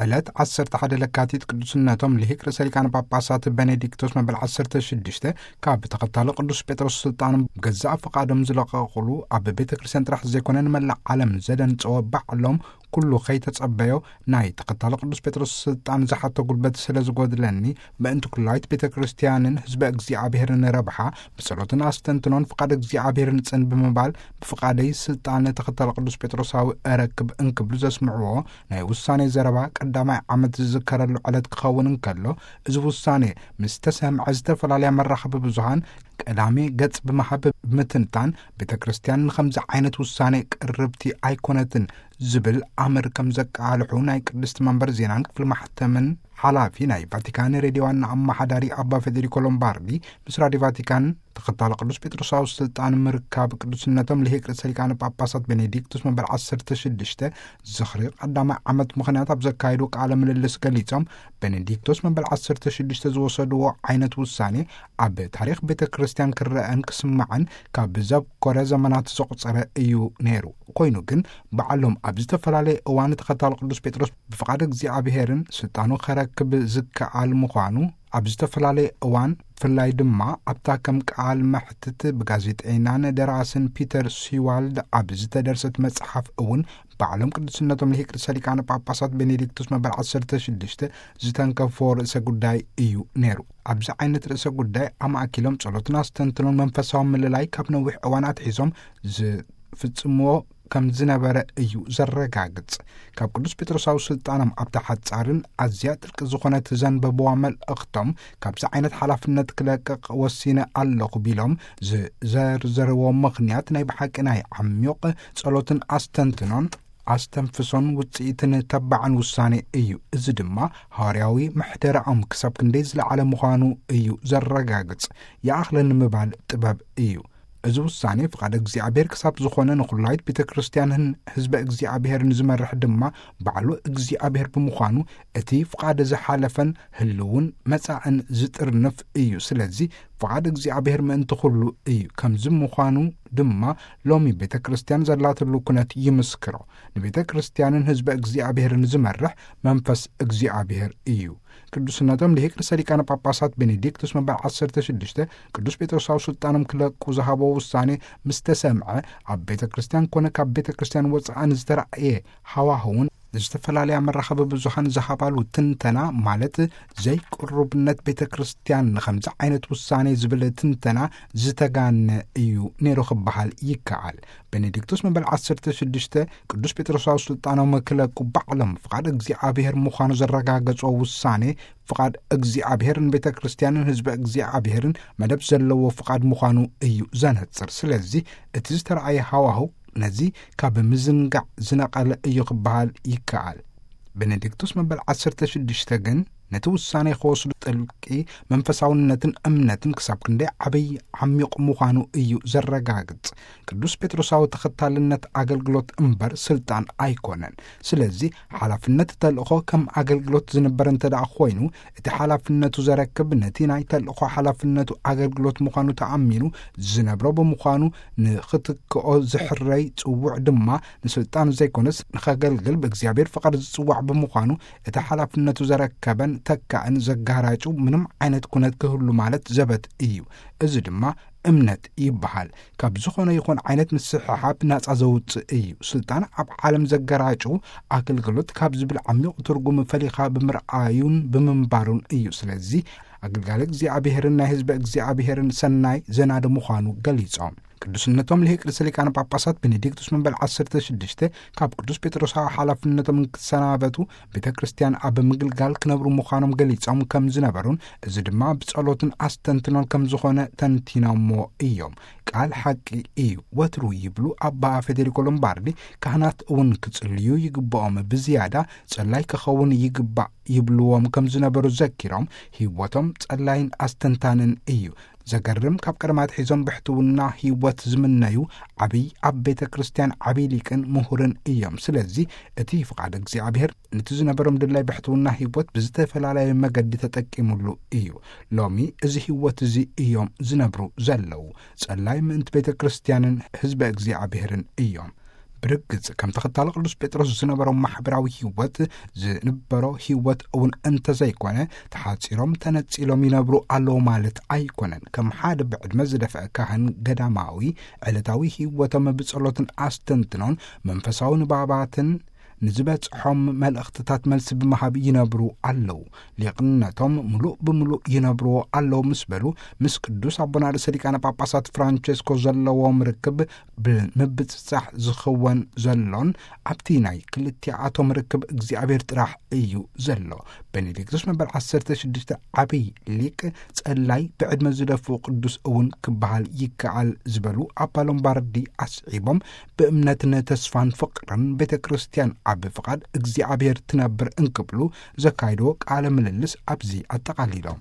ዕለት ዓሰርተ ሓደ ለካቲት ቅዱስነቶም ልሂቅ ርእሰ ሊቃነ ጳጳሳት ቤኔዲክቶስ መበል ዓሰርተ ሽዱሽተ ካብ ተኸታሊ ቅዱስ ጴጥሮስ ስልጣኖም ብገዛእ ፍቓዶም ዝለቐቑሉ፣ ኣብ ቤተ ክርስቲያን ጥራሕ ዘይኮነ ንመላእ ዓለም ዘደንጸወ ባዕሎም ኩሉ ከይተጸበዮ ናይ ተኸታሊ ቅዱስ ጴጥሮስ ስልጣን ዝሓቶ ጉልበት ስለ ዝጎድለኒ፣ ምእንቲ ኩላይት ቤተ ክርስቲያንን ህዝበ እግዚኣብሔርን ረብሓ ብጸሎትን ኣስተንትኖን ፍቓድ እግዚኣብሔር ንጽን ብምባል ብፍቓደይ ስልጣን ተኸታሊ ቅዱስ ጴጥሮሳዊ እረክብ እንክብሉ ዘስምዕዎ ናይ ውሳኔ ዘረባ ቀዳማይ ዓመት ዝዝከረሉ ዕለት ክኸውን እንከሎ፣ እዚ ውሳኔ ምስ ተሰምዐ ዝተፈላለያ መራኸቢ ብዙሃን ቀዳሚ ገጽ ብምሃብ ብምትንታን፣ ቤተ ክርስቲያን ንኸምዚ ዓይነት ውሳኔ ቅርብቲ ኣይኮነትን ዝብል ኣምር ከም ዘቃልሑ ናይ ቅድስቲ መንበር ዜናን ክፍሊ ማሕተምን ሓላፊ ናይ ቫቲካን ሬድዮ ዋና ኣመሓዳሪ ኣባ ፌዴሪኮ ሎምባርዲ ምስ ራዲዮ ቫቲካን ተኸታሊ ቅዱስ ጴጥሮሳዊ ስልጣን ምርካብ ቅዱስነቶም ልሂቅ ርእሰ ሊቃነ ጳጳሳት ቤኔዲክቱስ መበል ዓሰርተ ሽዱሽተ ዝኽሪ ቀዳማይ ዓመት ምኽንያት ኣብ ዘካየዱ ቃለ ምልልስ ገሊጾም፣ ቤኔዲክቶስ መበል ዓሰርተ ሽዱሽተ ዝወሰድዎ ዓይነት ውሳኔ ኣብ ታሪኽ ቤተ ክርስቲያን ክረአን ክስማዕን ካብ ዘብኮረ ዘመናት ዘቑጸረ እዩ ነይሩ። ኮይኑ ግን ባዕሎም ኣብ ዝተፈላለየ እዋን ተኸታሊ ቅዱስ ጴጥሮስ ብፍቓድ እግዚኣብሔርን ስልጣኑ ከረክብ ዝከኣል ምዃኑ፣ ኣብ ዝተፈላለየ እዋን ብፍላይ ድማ ኣብታ ከም ቃል መሕትት ብጋዜጠይናን ደራስን ፒተር ሲዋልድ ኣብ ዝተደርሰት መጽሓፍ እውን ባዕሎም ቅዱስነቶም ልሂቅ ርእሰ ሊቃነ ጳጳሳት ቤኔዲክቱስ መበል ዓሰርተ ሽዱሽተ ዝተንከፎ ርእሰ ጉዳይ እዩ ነይሩ። ኣብዚ ዓይነት ርእሰ ጉዳይ ኣማእኪሎም ጸሎትን ኣስተንትኖን መንፈሳዊ ምልላይ ካብ ነዊሕ እዋን ኣትሒዞም ዝፍጽምዎ ከም ዝነበረ እዩ ዘረጋግጽ። ካብ ቅዱስ ጴጥሮሳዊ ስልጣኖም ኣብታ ሓጻርን ኣዝያ ጥልቂ ዝኾነት ዘንበብዋ መልእኽቶም ካብዚ ዓይነት ሓላፍነት ክለቅቕ ወሲነ ኣለኹ ቢሎም ዝዘርዘርዎ ምኽንያት ናይ ብሓቂ ናይ ዓሚቕ ጸሎትን ኣስተንትኖን ኣስተንፍሶን ውጽኢትን ተባዕን ውሳኔ እዩ። እዚ ድማ ሃዋርያዊ ምሕደራኦም ክሳብ ክንደይ ዝለዓለ ምዃኑ እዩ ዘረጋግጽ። ይኣኽለኒ ምባል ጥበብ እዩ። እዚ ውሳኔ ፍቓድ እግዚኣብሔር ክሳብ ዝኾነ ንኹላይት ቤተ ክርስቲያንን ህዝበ እግዚኣብሔርን ዝመርሕ ድማ ባዕሉ እግዚኣብሔር ብምዃኑ እቲ ፍቓድ ዝሓለፈን ህልውን መጻእን ዝጥርንፍ እዩ። ስለዚ ፍቓድ እግዚኣብሔር ምእንቲ ኩሉ እዩ። ከምዚ ምዃኑ ድማ ሎሚ ቤተ ክርስቲያን ዘላትሉ ኩነት ይምስክሮ። ንቤተ ክርስቲያንን ህዝበ እግዚኣብሔርን ዝመርሕ መንፈስ እግዚኣብሔር እዩ። ቅዱስነቶም ልሂቅ ርእሰ ሊቃነ ጳጳሳት ቤኔዲክቱስ መበል ዓሰርተ ሽዱሽተ ቅዱስ ጴጥሮሳዊ ስልጣኖም ክለቁ ዝሃቦ ውሳኔ ምስ ተሰምዐ፣ ኣብ ቤተ ክርስቲያን ኮነ ካብ ቤተ ክርስቲያን ወጻኢ ንዝተራእየ ሃዋህውን ዝተፈላለያ መራኸቢ ብዙሃን ዝሃባሉ ትንተና፣ ማለት ዘይቅሩብነት ቤተ ክርስቲያን ንኸምዚ ዓይነት ውሳኔ ዝብል ትንተና ዝተጋነ እዩ ነይሩ ክበሃል ይከኣል። ቤኔዲክቱስ መበል ዓሰርተ ሽዱሽተ ቅዱስ ጴጥሮሳዊ ስልጣኖም ክለቁ ባዕሎም ፍቓድ እግዚኣብሔር ምዃኑ ዘረጋገጾ ውሳኔ፣ ፍቓድ እግዚኣብሔር ንቤተ ክርስቲያንን ህዝበ እግዚኣብሔርን መደብ ዘለዎ ፍቓድ ምዃኑ እዩ ዘነጽር። ስለዚ እቲ ዝተረኣየ ሃዋህው ነዚ ካብ ምዝንጋዕ ዝነቐለ እዩ ክበሃል ይከኣል። ቤኔዲክቱስ መበል ዓሰርተ ሽዱሽተ ግን ነቲ ውሳኔ ክወስዱ ጥልቂ መንፈሳውነትን እምነትን ክሳብ ክንደይ ዓብይ ዓሚቕ ምዃኑ እዩ ዘረጋግጽ። ቅዱስ ጴጥሮሳዊ ተኸታልነት ኣገልግሎት እምበር ስልጣን ኣይኮነን። ስለዚ ሓላፍነት ተልእኾ ከም ኣገልግሎት ዝንበር እንተ ደኣ ኮይኑ፣ እቲ ሓላፍነቱ ዘረክብ ነቲ ናይ ተልእኾ ሓላፍነቱ ኣገልግሎት ምዃኑ ተኣሚኑ ዝነብሮ ብምዃኑ፣ ንኽትክኦ ዝሕረይ ጽውዕ ድማ ንስልጣን ዘይኮነስ ንኸገልግል ብእግዚኣብሔር ፍቓድ ዝጽዋዕ ብምዃኑ፣ እቲ ሓላፍነቱ ዘረከበን ተካእን ዘጋራጩ ምንም ዓይነት ኩነት ክህሉ ማለት ዘበት እዩ። እዚ ድማ እምነት ይበሃል። ካብ ዝኾነ ይኹን ዓይነት ምስሕሓብ ናጻ ዘውጽእ እዩ። ስልጣን ኣብ ዓለም ዘገራጩ ኣገልግሎት ካብ ዝብል ዓሚቕ ትርጉም ፈሊኻ ብምርኣዩን ብምንባሩን እዩ። ስለዚ ኣገልጋሊ እግዚኣብሔርን ናይ ህዝቢ እግዚኣብሔርን ሰናይ ዘናዲ ምዃኑ ገሊጾም። ቅዱስነቶም ልሂቅ ርእሰ ሊቃነ ጳጳሳት ቤኔዲክቱስ መበል ዓሰርተ ሽዱሽተ ካብ ቅዱስ ጴጥሮሳዊ ሓላፍነቶም እንክሰናበቱ ቤተ ክርስቲያን ኣብ ምግልጋል ክነብሩ ምዃኖም ገሊጾም ከም ዝነበሩን፣ እዚ ድማ ብጸሎትን ኣስተንትኖን ከም ዝኾነ ተንቲኖሞ እዮም። ቃል ሓቂ እዩ። ወትሩ ይብሉ ኣባ ፌዴሪኮ ሎምባርዲ፣ ካህናት እውን ክጽልዩ ይግብኦም። ብዝያዳ ጸላይ ክኸውን ይግባእ ይብልዎም ከም ዝነበሩ ዘኪሮም፣ ህይወቶም ጸላይን ኣስተንታንን እዩ። ዘገርም፣ ካብ ቀደም ኣትሒዞም ብሕትውና ህይወት ዝምነዩ ዓብይ ኣብ ቤተ ክርስቲያን ዓብይ ሊቅን ምሁርን እዮም። ስለዚ እቲ ፍቓድ እግዚኣብሔር ነቲ ዝነበሮም ድላይ ብሕትውና ህይወት ብዝተፈላለየ መገዲ ተጠቂሙሉ እዩ። ሎሚ እዚ ህይወት እዚ እዮም ዝነብሩ ዘለዉ። ጸላይ ምእንቲ ቤተ ክርስቲያንን ህዝበ እግዚኣብሔርን እዮም። ብርግጽ ከም ተኸታሊ ቅዱስ ጴጥሮስ ዝነበሮም ማሕበራዊ ህይወት ዝንበሮ ህይወት እውን እንተዘይኮነ፣ ተሓጺሮም ተነጺሎም ይነብሩ ኣለዉ ማለት ኣይኮነን። ከም ሓደ ብዕድመ ዝደፍአ ካህን ገዳማዊ፣ ዕለታዊ ህይወቶም ብጸሎትን ኣስተንትኖን መንፈሳዊ ንባባትን ንዝበጽሖም መልእኽትታት መልሲ ብምሃብ ይነብሩ ኣለዉ። ሊቕነቶም ምሉእ ብምሉእ ይነብርዎ ኣለዉ ምስ በሉ፣ ምስ ቅዱስ ኣቦና ርእሰ ሊቃነ ጳጳሳት ፍራንቸስኮ ዘለዎም ርክብ ብምብጽጻሕ ዝኽወን ዘሎን ኣብቲ ናይ ክልቲኣቶም ርክብ እግዚኣብሔር ጥራሕ እዩ ዘሎ። ቤኔዲክቶስ መበል ዓሰርተ ሽዱሽተ ዓብይ ሊቅ ጸላይ ብዕድመ ዝደፍኡ ቅዱስ እውን ክበሃል ይከኣል ዝበሉ ኣባ ሎምባርዲ ኣስዒቦም፣ ብእምነትን ተስፋን ፍቕርን ቤተ ክርስቲያን ኣብ ፍቓድ እግዚኣብሔር ትነብር እንክብሉ ዘካይድዎ ቃለ ምልልስ ኣብዚ ኣጠቓሊሎም።